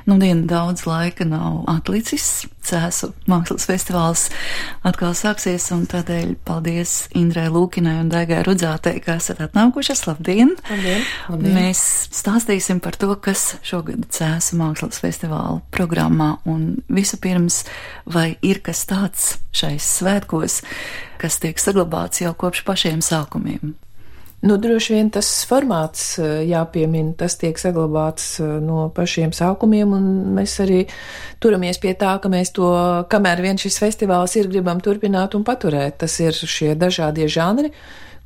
Nudien daudz laika nav atlicis. Cēsu mākslas festivāls atkal sāksies, un tādēļ paldies Indrai Lūkinai un Daigai Rudzātei, ka esat atnākušas. Labdien! Labdien! Labdien! Mēs stāstīsim par to, kas šogad Cēsu mākslas festivāla programmā, un vispirms, vai ir kas tāds šais svētkos, kas tiek saglabāts jau kopš pašiem sākumiem? Droši vien tas formāts jāpiemina, tas tiek saglabāts no pašiem sākumiem, un mēs arī turamies pie tā, ka mēs to, kamēr vien šis festivāls ir, gribam turpināt un paturēt. Tas ir šie dažādie žanri,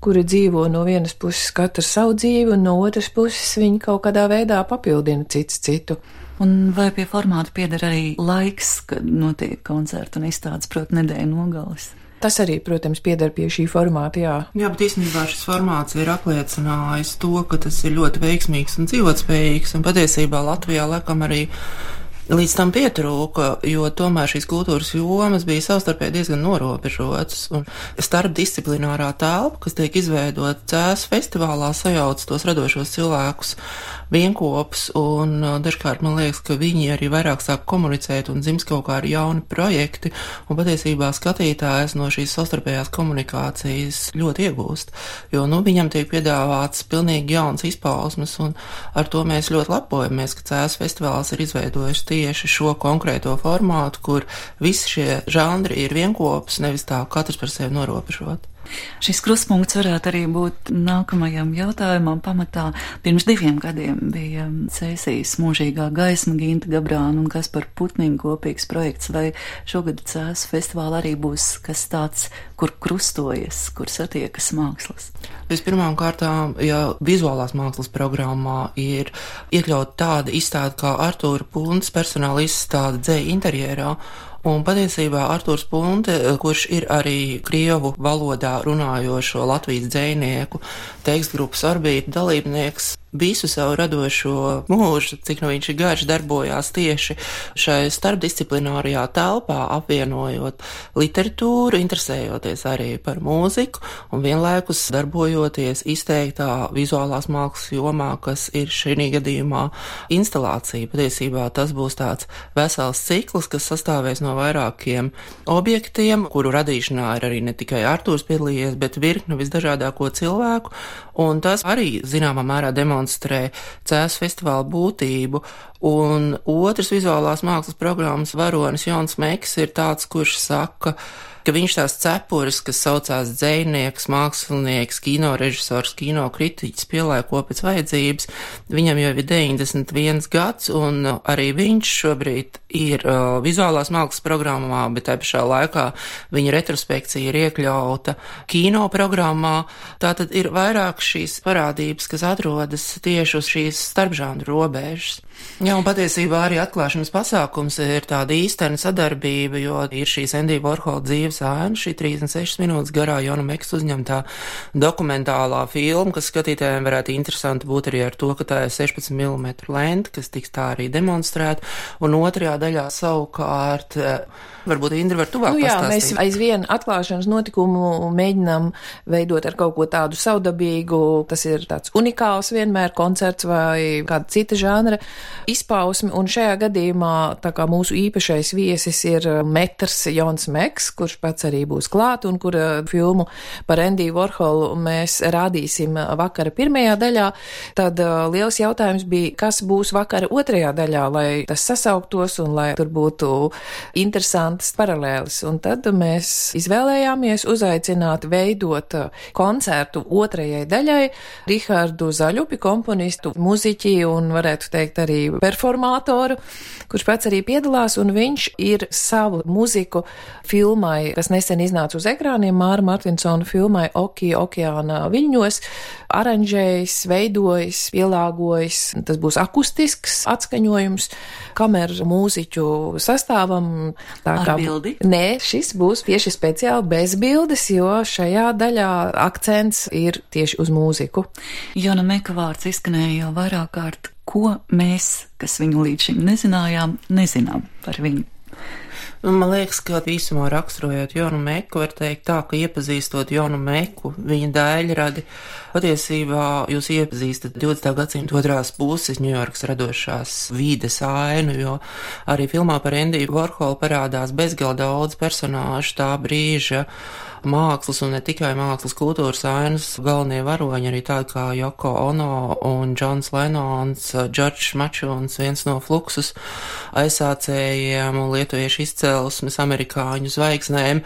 kuri dzīvo no vienas puses katrs savu dzīvi, un no otras puses viņi kaut kādā veidā papildina cits citu. Un vai pie formāta pieder arī laiks, kad notiek koncerti un izstādes, proti nedēļu nogales? Tas arī, protams, pieder pie šī formāta, jā. Jā, bet īstenībā šis formāts ir apliecinājis to, ka tas ir ļoti veiksmīgs un dzīvotspējīgs, un patiesībā Latvijā laikam arī līdz tam pietrūka, jo tomēr šīs kultūras jomas bija savstarpēji diezgan norobežotas, un starpdisciplinārā telpa, kas tiek izveidota Cēsu festivālā, sajauc tos radošos cilvēkus vienkopus, un dažkārt man liekas, ka viņi arī vairāk sāk komunicēt un dzimst kaut kādi jauni projekti, un patiesībā skatītājs no šīs savstarpējās komunikācijas ļoti iegūst, jo, viņam tiek piedāvāts pilnīgi jauns izpausmes, un ar to mēs ļoti lepojamies, ka Cēsu festivāls ir izveidojis tieši šo konkrēto formātu, kur visi šie žanri ir vienkopus, nevis tā katrs par sevi norobežot. Šis krustpunkts varētu arī būt nākamajam jautājumam pamatā. Pirms 2 gadiem bija Cēsīs mūžīgā gaisma, Ginta Gabrāna un Kaspar Putniņa kopīgs projekts, vai šogad Cēsu festivāla arī būs kas tāds, kur krustojas, kur satiekas mākslas? Vispirmām kārtām, ja vizuālās mākslas programmā ir iekļaut tāda izstāde kā Artūra Puntes personāla izstāde dzeja interjerā, un patiesībā Artūrs Punte, kurš ir arī krievu valodā runājošo Latvijas dzejnieku tekstgrupas Orbīta dalībnieks, visu savu radošo mūžu, cik viņš ir garš, darbojās tieši šai starpdisciplinārajā telpā, apvienojot literatūru, interesējoties arī par mūziku un vienlaikus darbojoties izteiktā vizuālās mākslas jomā, kas ir šī gadījumā instalācija. Patiesībā tas būs tāds vesels cikls, kas sastāvēs no vairākiem objektiem, kuru radīšanā ir arī ne tikai Artūrs piedalījies, bet virkne visdažādāko cilvēku, un tas arī zināmā mērā demonstrē Cēsu festivāla būtību. Un otrs vizuālās mākslas programmas varonis Jons Meks ir tāds, kurš saka, ka viņš tās cepures, kas saucās dzejnieks, mākslinieks, kinorežisors, kinokritiķis, pielāgo pēc vajadzības, viņam jau ir 91 gads, un arī viņš šobrīd ir vizuālās mākslas programmā, bet tā pašā laikā viņa retrospekcija ir iekļauta kino programmā. Tātad ir vairāk šīs parādības, kas atrodas tieši uz šīs starpžanru robežas. Jā, un patiesībā arī atklāšanas pasākums ir tāda īstena sadarbība, jo ir šīs Endija Vorhola dzīves ēna, šī 36 minūtes garā Jona Meksa uzņemtā dokumentālā filma, kas skatītājiem varētu interesanti būt arī ar to, ka tā ir 16 mm lente, kas tiks tā arī demonstrēta, un otrajā daļā savukārt, varbūt Indra var tuvāk pastāstīt. Jā, mēs aizvien atklāšanas notikumu mēģinām veidot ar kaut ko tādu savdabīgu, tas ir tāds unikāls vienmēr koncerts vai kāda cita žanra izpausmi, un šajā gadījumā tā kā mūsu īpašais viesis ir metrs Jons Meks, kurš pats arī būs klāt, un kura filmu par Endiju Vorholu mēs rādīsim vakara pirmajā daļā, tad liels jautājums bija, kas būs vakara otrajā daļā, lai tas sasauktos un lai tur būtu interesantas paralēlis, un tad mēs izvēlējāmies uzaicināt veidot koncertu otrajai daļai Rihardu Zaļupi, komponistu, muziķi un varētu teikt arī performātoru, kurš pats arī piedalās, un viņš ir savu muziku filmai, kas nesen iznāca uz ekrāniem, Māra Martinsona filmai Oki okeāna viļņos, aranžējis, veidojis, pielāgojis. Tas būs akustisks atskaņojums, kameru mūziķu sastāvam. Ar bildi? Nē, šis būs tieši speciāli bez bildes, jo šajā daļā akcents ir tieši uz mūziku. Jona Meka vārds izskanēja jau vairāk kārt. Ko mēs, kas viņu līdz šim nezinājām, nezinām par viņu? Man liekas, ka īsumā raksturojot Jonu Meku, var teikt tā, ka iepazīstot Jonu Meku, viņa daļradi, patiesībā jūs iepazīstat 20. gadsimta otrās puses Ņujorkas radošās vīdes ainu, jo arī filmā par Endiju Vorholu parādās bezgalīgi daudz personāžu tā brīža mākslas un ne tikai mākslas kultūras ainas galvenie varoņi, arī tādi kā Yoko Ono un Džons Lenons, Džordžs Mačuns, viens no Fluxus aizsācējiem un lietuviešu izcelsmes amerikāņu zvaigznēm.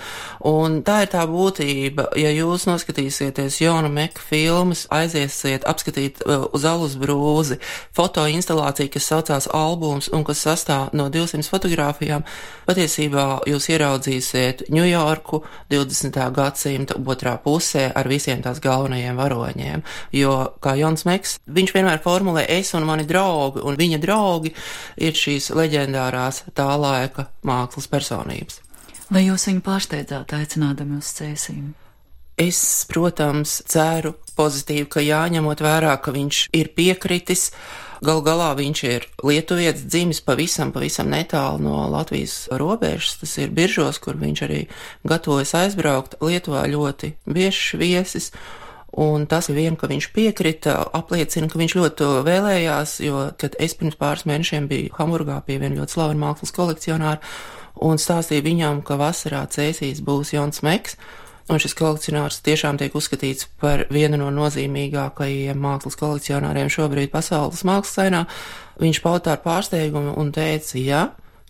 Un tā ir tā būtība, ja jūs noskatīsieties Jona Meka filmas, aiziesiet apskatīt uz alus brūzi fotoinstalāciju, kas saucās albums un kas sastāv no 200 fotogrāfijām, patiesībā jūs ieraudzīsiet Ņujorku 20. gadsimta otrā pusē ar visiem tās galvenajiem varoņiem, jo, kā Jons Meks, viņš vienmēr formulē es un mani draugi, un viņa draugi ir šīs leģendārās tā laika mākslas personības. Vai jūs viņu pārsteidzāt aicinādami uz cēsīm? Es, protams, ceru pozitīvi, ka jāņemot vērā, ka viņš ir piekritis. Galu galā viņš ir lietuvietis, dzimis pavisam netālu no Latvijas robežas, tas ir Biržos, kur viņš arī gatavojas aizbraukt. Lietuvā ļoti biežs viesis, un tas vien, ka viņš piekrita, apliecina, ka viņš ļoti to vēlējās, jo, kad es pirms pāris mēnešiem biju Hamburgā pie viena ļoti slavena mākslas kolekcionāra un stāstīju viņam, ka vasarā Cēsīs būs Jons Meks, un šis kolekcionārs tiešām tiek uzskatīts par vienu no nozīmīgākajiem mākslas kolekcionāriem šobrīd pasaules mākslas ainā. Viņš pauda ar pārsteigumu un teica, ja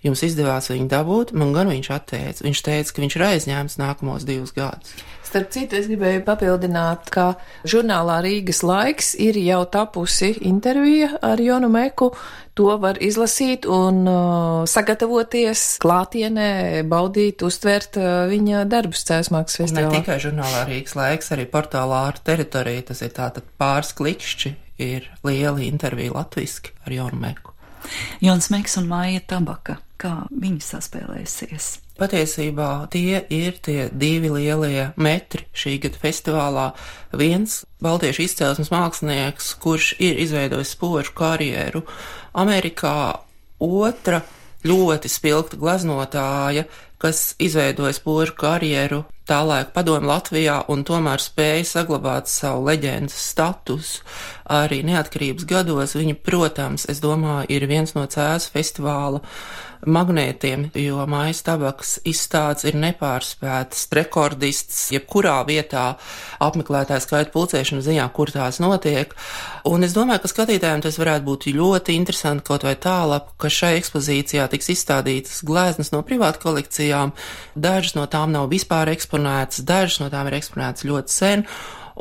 jums izdevās viņu dabūt, man gan viņš atteica. Viņš teica, ka viņš ir aizņēmis nākamos 2 gadus. Starp citu, es gribēju papildināt, ka žurnālā Rīgas laiks ir jau tapusi intervija ar Jonu Meku. To var izlasīt un sagatavoties klātienē, baudīt, uztvert viņa darbus Cēsmākslas festivālā. Ne tikai žurnālā Rīgas laiks, arī portālā Ārta teritorija, tas ir tātad pāris klikšķi, ir liela intervija latviski ar Jonu Meku. Jons Meks un Maija Tabaka, kā viņi saspēlēsies? Patiesībā tie ir tie 2 lielie metri šī gada festivālā. Viens baltiešu izcelsmes mākslinieks, kurš ir izveidojis spožu karjeru Amerikā, otra ļoti spilgta gleznotāja, kas izveidoja spožu karjeru tālaik padomju Latvijā un tomēr spēja saglabāt savu leģendas statusu arī neatkarības gados. Viņa, protams, es domāju, ir viens no Cēsu festivāla magnētiem, jo Maijas Tabakas izstādes ir nepārspētas, rekordists, jebkurā vietā apmeklētāju skaita pulcēšana ziņā, kur tās notiek. Un es domāju, ka skatītājiem tas varētu būt ļoti interesanti kaut vai tālāk, ka šai ekspozīcijā tiks izstādītas gleznas no privātu kolekcijām. Dažas no tām nav vispār eksponētas, dažas no tām ir eksponētas ļoti sen.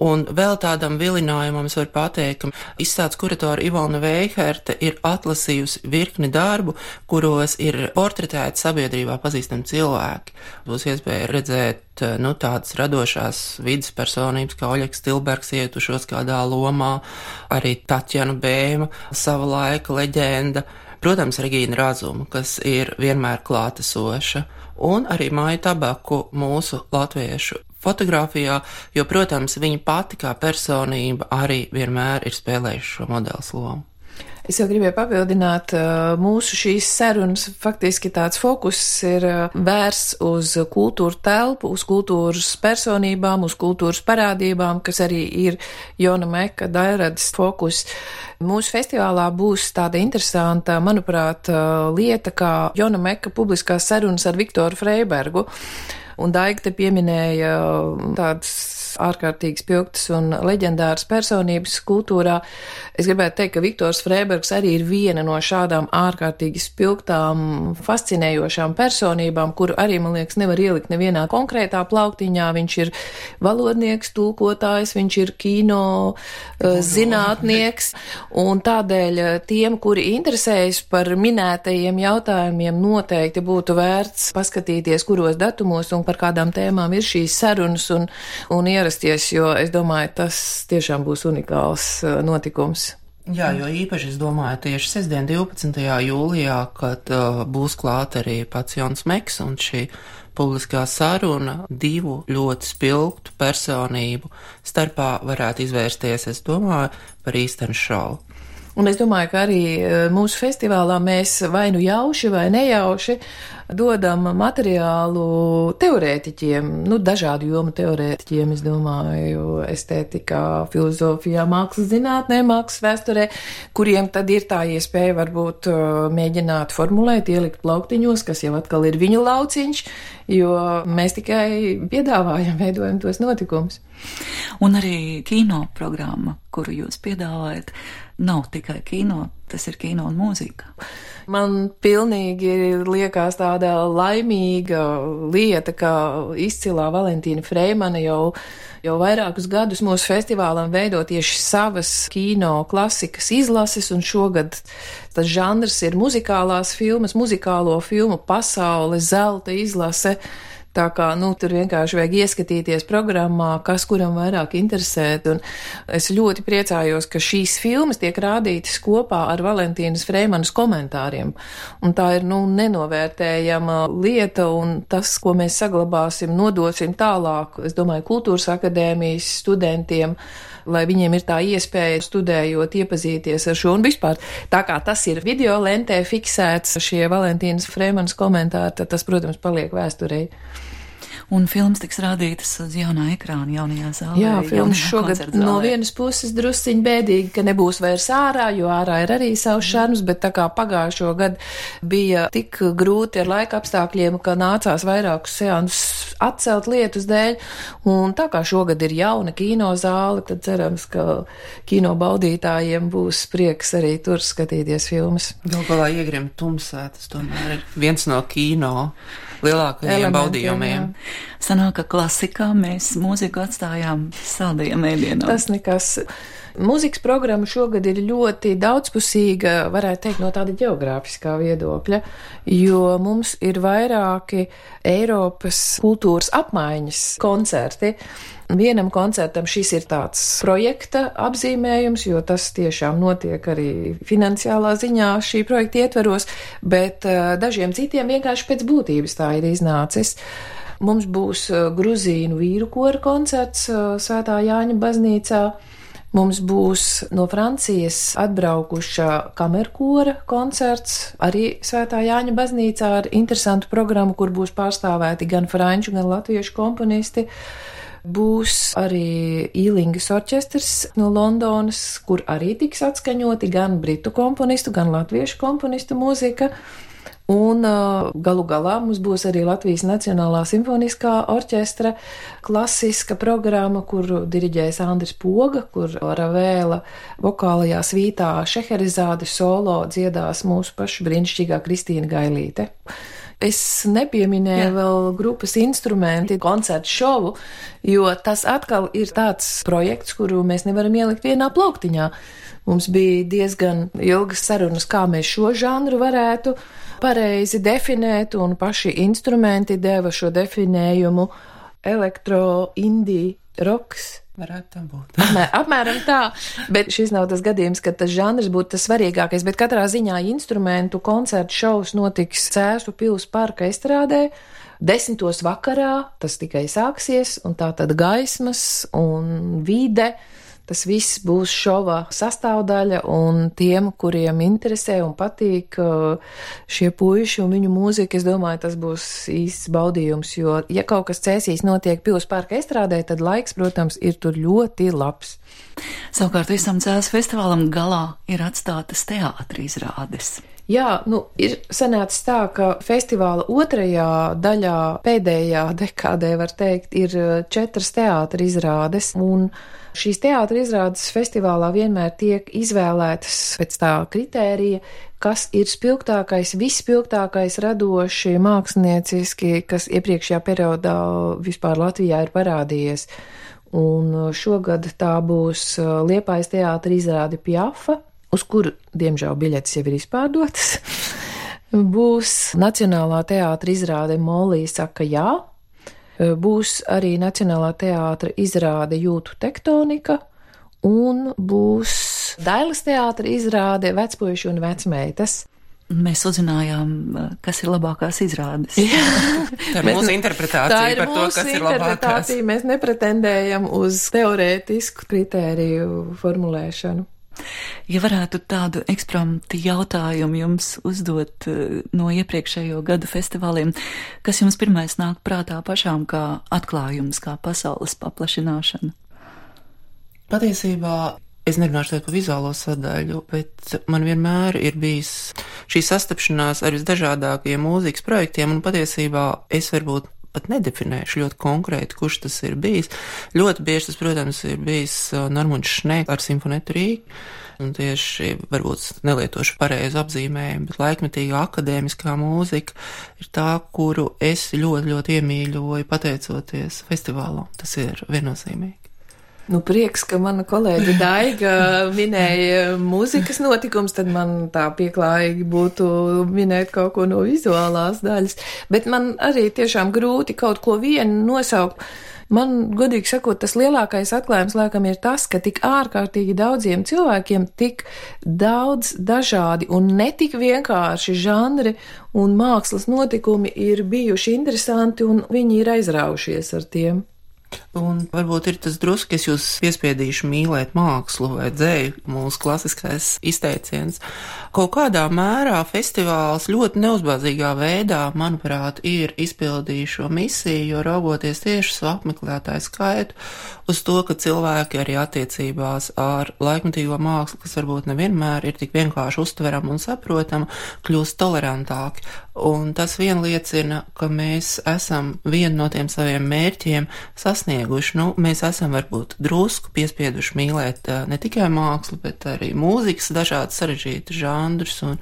Un vēl tādam vilinājumam es varu pateikt, ka izstādes kuratore Ivona Veiherte ir atlasījusi virkni darbu, kuros ir portretēti sabiedrībā pazīstami cilvēki. Būs iespēja redzēt tādas radošās vidas personības, kā Oļegs Tilbergs ietušos kādā lomā, arī Tatjana Bēma, sava laika leģenda, protams, Regīna Razuma, kas ir vienmēr klātesoša, un arī Maiju Tabaku, mūsu latviešu fotografijā, jo, protams, viņa pati kā personība arī vienmēr ir spēlējuši šo modeles lomu. Es jau gribēju papildināt, mūsu šīs sarunas faktiski tāds fokus ir vērsts uz kultūru telpu, uz kultūras personībām, uz kultūras parādībām, kas arī ir Jona Meka daļradas fokus. Mūsu festivālā būs tāda interesanta, manuprāt, lieta kā Jona Meka publiskās sarunas ar Viktoru Freibergu. Un Daiga te pieminēja tādas ārkārtīgi spilgtas un leģendāras personības kultūrā. Es gribētu teikt, ka Viktors Freibergs arī ir viena no šādām ārkārtīgi spilgtām, fascinējošām personībām, kuru arī, man liekas, nevar ielikt nevienā konkrētā plauktiņā. Viņš ir valodnieks, tulkotājs, viņš ir kino zinātnieks, un tādēļ tiem, kuri interesējas par minētajiem jautājumiem, noteikti būtu vērts paskatīties, kuros datumos un par kādām tēmām ir šīs sarunas un ierasties, jo es domāju, tas tiešām būs unikāls notikums. Jā, jo īpaši es domāju tieši sestdien 12. jūlijā, kad būs klāt arī pats Jons Meks un šī publiskā saruna 2 ļoti spilgtu personību starpā varētu izvērsties, es domāju, par īstenu šovu. Un es domāju, ka arī mūsu festivālā mēs vai nu jauši vai nejauši dodam materiālu teorētiķiem, dažādu jomu teorētiķiem, es domāju, estētikā, filozofijā, mākslas zinātnē, mākslas vēsturē, kuriem tad ir tā iespēja varbūt mēģināt formulēt, ielikt plauktiņos, kas jau atkal ir viņu lauciņš, jo mēs tikai piedāvājam, veidojam tos notikumus. Un arī kino programma, kuru jūs piedāvājat, nav tikai kino, tas ir kino un mūzika. Man pilnīgi liekas tāda laimīga lieta, ka izcilā Valentīna Freimana jau vairākus gadus mūsu festivālam veido tieši savas kino klasikas izlases, un šogad tas žanrs ir muzikālās filmas, muzikālo filmu pasaule, zelta izlase. Tā kā, tur vienkārši vajag ieskatīties programmā, kas kuram vairāk interesē, un es ļoti priecājos, ka šīs filmas tiek rādītas kopā ar Valentīnas Freimanas komentāriem, un tā ir, nenovērtējama lieta, un tas, ko mēs saglabāsim, nodosim tālāk, es domāju, Kultūras akadēmijas studentiem, lai viņiem ir tā iespēja studējot, iepazīties ar šo, un vispār, tā kā tas ir video lentē fiksēts, šie Valentīnas Freimanas komentāri, tad tas, protams, paliek vēsturei. Un filmas tiks rādītas uz jaunā ekrāna, jaunajā zālē. Jā, filmas šogad no vienas puses drusciņ bēdīgi, ka nebūs vairs ārā, jo ārā ir arī savs šarms, bet tā kā pagājušo gadu bija tik grūti ar laika apstākļiem, ka nācās vairākus seansus atcelt lietus dēļ, un tā kā šogad ir jauna kino zāle, tad cerams, ka kino baudītājiem būs prieks arī tur skatīties filmas. Galu galā Iegrim tumsā, tas tomēr ir viens no kino lielākajiem baudījumiem. Sanāk, ka klasikā mēs mūziku atstājām saldajiem ēdienam. Tas nekas. Mūzikas programma šogad ir ļoti daudzpusīga, varētu teikt, no tāda ģeogrāfiskā viedokļa, jo mums ir vairāki Eiropas kultūras apmaiņas koncerti. Vienam koncertam šis ir tāds projekta apzīmējums, jo tas tiešām notiek arī finansiālā ziņā šī projekta ietveros, bet dažiem citiem vienkārši pēc būtības tā ir iznācis. Mums būs gruzīnu vīru kora koncerts Svētā Jāņa baznīcā. Mums būs no Francijas atbraukuša kamerkora koncerts, arī Svētā Jāņa baznīcā ar interesantu programmu, kur būs pārstāvēti gan franču, gan latviešu komponisti. Būs arī Īlingas orķestrs no Londonas, kur arī tiks atskaņoti gan britu komponistu, gan latviešu komponistu mūzika. Un galu galā mums būs arī Latvijas Nacionālā simfoniskā orķestra klasiska programma, kuru diriģēs Andris Poga, kur Ravēla vokālajā svītā Šeherizāde solo dziedās mūsu pašu brīnišķīgā Kristīna Gailīte. Es nepieminēju vēl grupas instrumenti, koncertu šovu, jo tas atkal ir tāds projekts, kuru mēs nevaram ielikt vienā plauktiņā. Mums bija diezgan ilgas sarunas, kā mēs šo žanru varētu pareizi definēt, un paši instrumenti deva šo definējumu elektro, indie, roks. Varētu tā būt. Apmēram tā, bet šis nav tas gadījums, ka tas žanrs būtu tas svarīgākais, bet katrā ziņā instrumentu koncertu šovs notiks Cēsu pils parka estrādē 10. vakarā, tas tikai sāksies, un tā tad gaismas un vide. Tas viss būs šova sastāvdaļa, un tiem, kuriem interesē un patīk šie puiši un viņu mūzika, es domāju, tas būs īsts baudījums, jo, ja kaut kas Cēsīs notiek Pils parka estrādē, tad laiks, protams, ir tur ļoti labs. Savukārt visam Cēsu festivālam galā ir atstātas teātra izrādes. Jā, ir sanācis tā, ka festivāla otrajā daļā, pēdējā dekādē, var teikt, ir 4 teātra izrādes, un šīs teātra izrādes festivālā vienmēr tiek izvēlētas pēc tā kritērija, kas ir spilgtākais, visspilgtākais radoši, mākslinieciski, kas iepriekšējā periodā vispār Latvijā ir parādījies. Un šogad tā būs Liepājas teātra izrāde Piafa, uz kuru, diemžēl, biļetes jau ir izpārdotas. Būs Nacionālā teātra izrāde Molija saka jā. Būs arī Nacionālā teātra izrāde Jūtu tektonika, un būs Dailes teātra izrāde Vecpuiši un vecmeitas. Mēs uzzinājām, kas ir labākās izrādes. Tā ir mūsu interpretācija par to, kas ir labākās. Mēs nepretendējam uz teorētisku kritēriju formulēšanu. Ja varētu tādu ekspromtu jautājumu jums uzdot no iepriekšējo gadu festivāliem, kas jums pirmais nāk prātā pašām kā atklājums, kā pasaules paplašināšana? Patiesībā es nerunāšu par vizuālo sadaļu, bet man vienmēr ir bijis šī sastapšanās ar visdažādākajiem mūzikas projektiem, un patiesībā es varbūt pat nedefinēšu ļoti konkrēti, kurš tas ir bijis. Ļoti bieži tas, protams, ir bijis Normunds Šnēks ar Simfonetu Rīgu, un tieši varbūt nelietošu pareizu apzīmējumu, bet laikmetīgā akadēmiskā mūzika ir tā, kuru es ļoti, ļoti iemīļoju pateicoties festivālam. Tas ir viennozīmīgi. Nu, prieks, ka mana kolēģe Daiga minēja mūzikas notikums, tad man tā pieklājīgi būtu minēt kaut ko no vizuālās daļas. Bet man arī tiešām grūti kaut ko vienu nosaukt. Man, godīgi sakot, tas lielākais atklājums laikam ir tas, ka tik ārkārtīgi daudziem cilvēkiem tik daudz dažādi un netik vienkārši žanri un mākslas notikumi ir bijuši interesanti un viņi ir aizraujušies ar tiem. Un varbūt ir tas drusku, es jūs piespiedīšu mīlēt mākslu vai dzēju, mūsu klasiskais izteiciens. Kaut kādā mērā festivāls ļoti neuzbāzīgā veidā, manuprāt, ir izpildījis šo misiju, jo raugoties tieši savu apmeklētāju skaitu uz to, ka cilvēki arī attiecībās ar laikmetīgo mākslu, kas varbūt nevienmēr ir tik vienkārši uztverama un saprotama, kļūst tolerantāki. Un tas vien liecina, ka mēs esam vienu no tiem saviem mērķiem sasnieguši. Nu, mēs esam varbūt drusku piespieduši mīlēt ne tikai mākslu, bet arī mūzikas dažādas sarežģītas žanrus un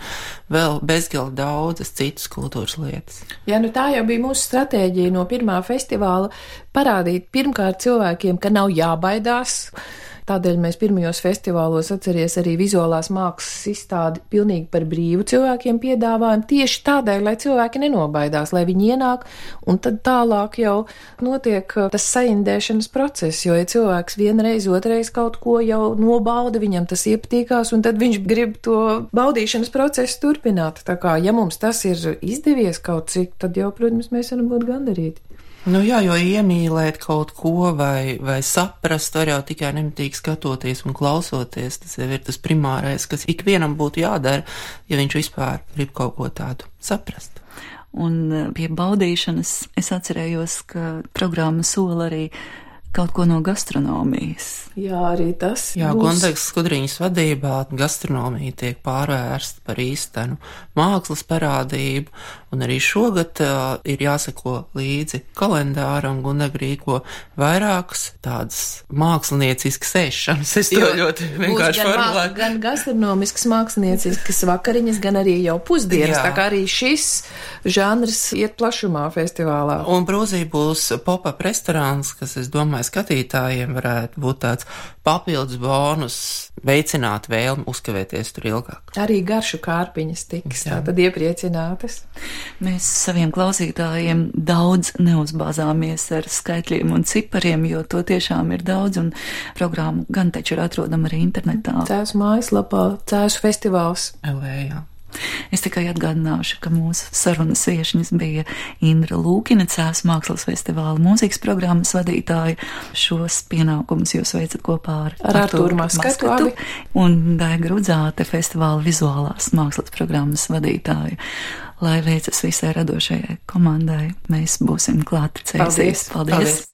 vēl bezgalīgi daudzas citas kultūras lietas. Jā, nu tā jau bija mūsu stratēģija no pirmā festivāla parādīt pirmkārt cilvēkiem, ka nav jābaidās. Tādēļ mēs pirmajos festivālos atceries arī vizuālās mākslas izstādi pilnīgi par brīvu cilvēkiem piedāvājam, tieši tādēļ, lai cilvēki nenobaidās, lai viņi ienāk, un tad tālāk jau notiek tas saindēšanas process, jo ja cilvēks vienreiz, otrais kaut ko jau nobauda, viņam tas iepatīkās, un tad viņš grib to baudīšanas procesu turpināt. Tā kā, ja mums tas ir izdevies kaut cik, tad jau, protams, mēs varam būt gandarīti. Nu jā, jo iemīlēt kaut ko vai saprast var jau tikai nemitīgi skatoties un klausoties. Tas jau ir tas primārais, kas ikvienam būtu jādara, ja viņš vispār grib kaut ko tādu saprast. Un pie baudīšanas es atcerējos, ka programma sola arī kaut ko no gastronomijas. Jā, arī tas. Jā, Gundegas Skudriņas vadībā gastronomija tiek pārvērsta par īstenu mākslas parādību, un arī šogad ir jāseko līdzi kalendāram. Gundega rīko vairākas tādas mākslinieciskas ēšanas. Es to ļoti vienkārši formulēju. Gan gastronomiskas mākslinieciskas vakariņas, gan arī jau pusdienas. Jā. Tā kā arī šis žanrs iet plašumā festivālā. Un Brūzī būs pop-up restorāns, kas, es domāju, skatītājiem varētu būt tāds papildus bonus, veicināt vēlmi uzkavēties tur ilgāk. Arī garšu kārpiņas tiks tātad iepriecinātas. Mēs saviem klausītājiem daudz neuzbāzāmies ar skaitļiem un cipariem, jo to tiešām ir daudz, un programmu gan taču ir atrodama arī internetā. Cēsu mājaslapā, Cēsu festivāls. Jā. Es tikai atgādināšu, ka mūsu sarunas viešņas bija Indra Lūkina, Cēsu mākslas festivāla mūzikas programmas vadītāja. Šos pienākumus jūs veicat kopā ar Artūru Maskatu un Daiga Rudzāte, festivāla vizuālās mākslas programmas vadītāja. Lai veicas visai radošajai komandai, mēs būsim klāti Cēsīs. Paldies! Paldies.